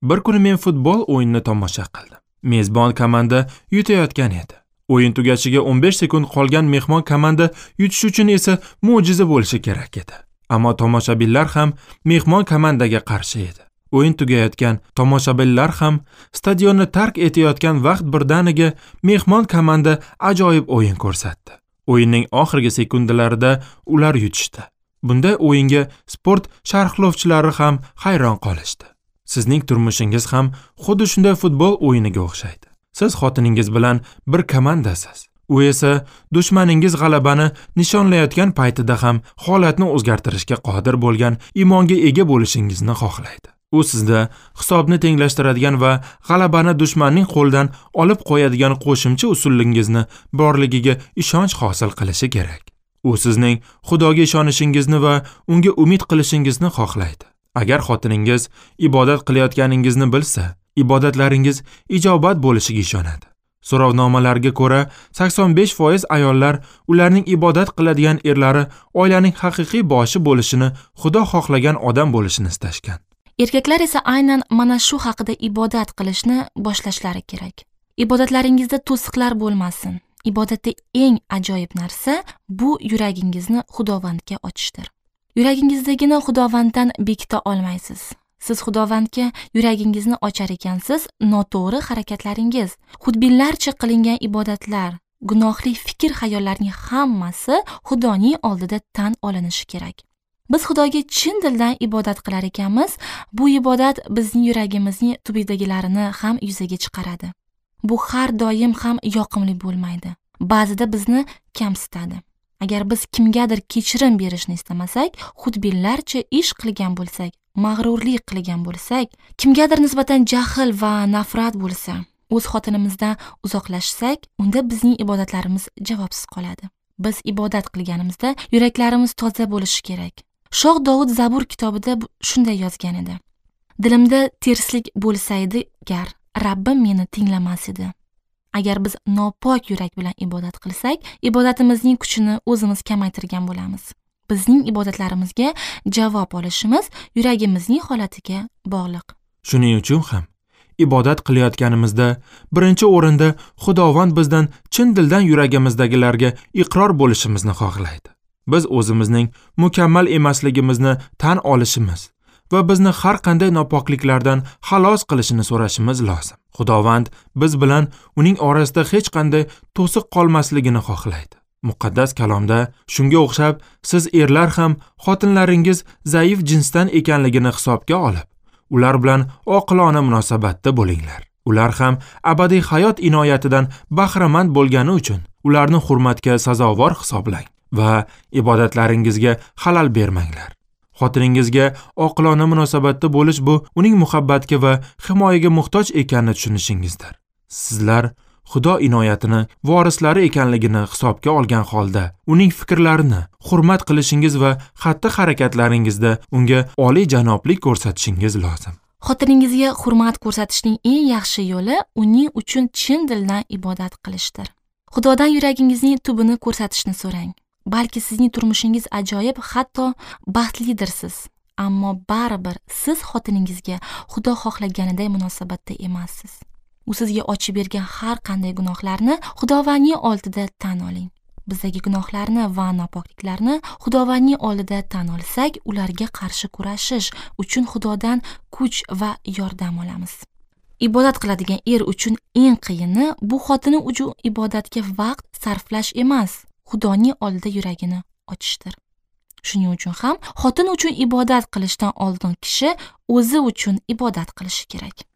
Bir kuni men futbol o'yinini tomosha qildim. Mezbon komanda yutayotgan edi. O'yin tugashiga 15 sekund qolgan mehmon komanda yutish uchun esa mo'jiza bo'lishi kerak edi. Ammo tomoshabinlar ham mehmon komandaga qarshi edi. O'yin tugayotgan, tomoshabinlar ham stadionni tark etayotgan vaqt birdaniga mehmon komanda ajoyib o'yin ko'rsatdi. O'yinning oxirgi sekundlarida ular yutishdi. Bunday o'yinga sport sharhlovchilari ham hayron qolishdi. Sizning turmushingiz ham xuddi shunday futbol o'yiniga o'xshaydi. Siz xotiningiz bilan bir komandasiz. U esa dushmaningiz g'alabani nishonlayotgan paytida ham holatni o'zgartirishga qodir bo'lgan iymonga ega bo'lishingizni xohlaydi. U sizda hisobni tenglashtiradigan va g'alabani dushmanning qo'lidan olib qo'yadigan qo'shimcha usulingizni borligiga ishonch hosil qilishi kerak. U sizning Xudoga ishonishingizni va unga umid qilishingizni xohlaydi. Agar xotiningiz ibodat qilayotganingizni bilsa, ibodatlaringiz ijobat bo'lishiga ishonadi. So'rovnomalarga ko'ra, 85% ayollar ularning ibodat qiladigan erlari oilaning haqiqiy boshi bo'lishini, Xudo xohlagan odam bo'lishini istashgan. Erkaklar esa aynan mana shu haqida ibodat qilishni boshlashlari kerak. Ibodatlaringizda to'siqlar bo'lmasin. Ibodatda eng ajoyib narsa bu yuragingizni Xudovandga ochishdir. Yuragingizdagini Xudovanddan bekita olmaysiz. Siz Xudovandga yuragingizni ochar ekansiz, noto'g'ri harakatlaringiz, xudbinlarcha qilingan ibodatlar, gunohli fikr xayollarning hammasi Xudoning oldida tan olinishi kerak. Biz Xudoga chin dildan ibodat qilar ekanmiz, bu ibodat bizning yuragimizning tubidagilarini ham yuzaga chiqaradi. Bu har doim ham yoqimli bo'lmaydi. Ba'zida bizni kamsitadi. Agar biz kimgadir kechirim berishni istamasak, xudbinlarcha ish qilgan bo'lsak, mag'rurlik qilgan bo'lsak, kimgadir nisbatan jahl va nafrat bo'lsa, o'z xotinimizdan uzoqlashsak, unda bizning ibodatlarimiz javobsiz qoladi. Biz ibodat qilganimizda yuraklarimiz toza bo'lishi kerak. Shoh Dovud Zabur kitobida shunday yozgan edi: Dilimda terslik bo'lsaydi gar, Rabbim meni tinglamas edi. Agar biz nopok yurak bilan ibodat qilsak, ibodatimizning kuchini o'zimiz kamaytirgan bo'lamiz. Bizning ibodatlarimizga javob olishimiz yuragimizning holatiga bog'liq. Shuning uchun ham ibodat qilayotganimizda birinchi o'rinda Xudovand bizdan chin dildan yuragimizdagilarga iqror bo'lishimizni xohlaydi. Biz o'zimizning mukammal emasligimizni tan olishimiz va bizni har qanday nopokliklardan xalos qilishini so'rashimiz lozim. Xudovand biz bilan uning orasida hech qanday to'siq qolmasligini xohlaydi. Muqaddas kalomda shunga o'xshab siz erlar ham xotinlaringiz zaif jinsdan ekanligini hisobga olib, ular bilan oqilona munosabatda bo'linglar. Ular ham abadiy hayot inoyatidan bahramand bo'lgani uchun ularni hurmatga sazovor hisoblang va ibodatlaringizga xalal bermanglar. Xotiningizga oqilona munosabatda bo'lish bu uning muhabbatga va himoyaga muhtoj ekanini tushunishingizdir. Sizlar Xudo inoyatini vorislari ekanligini hisobga olgan holda uning fikrlarini hurmat qilishingiz va xatti-harakatlaringizda unga oliy janoblik ko'rsatishingiz lozim. Xotiningizga hurmat ko'rsatishning eng yaxshi yo'li uning uchun chin dildan ibodat qilishdir. Xudodan yuragingizning tubini ko'rsatishni so'rang. Balki sizning turmushingiz ajoyib, hatto baxtlidirsiz, ammo baribir siz xotiningizga Xudo xohlaganiday munosabatda emassiz. U sizga ochib bergan har qanday gunohlarni Xudovandning oldida tan oling. Bizdagi gunohlarni va nopokliklarni Xudovandning oldida tan olsak, ularga qarshi kurashish uchun Xudodan kuch va yordam olamiz. Ibodat qiladigan er uchun eng qiyini bu xotini uchun ibodatga vaqt sarflash emas, Xudoning oldida yuragini ochishdir. Shuning uchun ham xotin uchun ibodat qilishdan oldin kishi o'zi uchun ibodat qilishi kerak.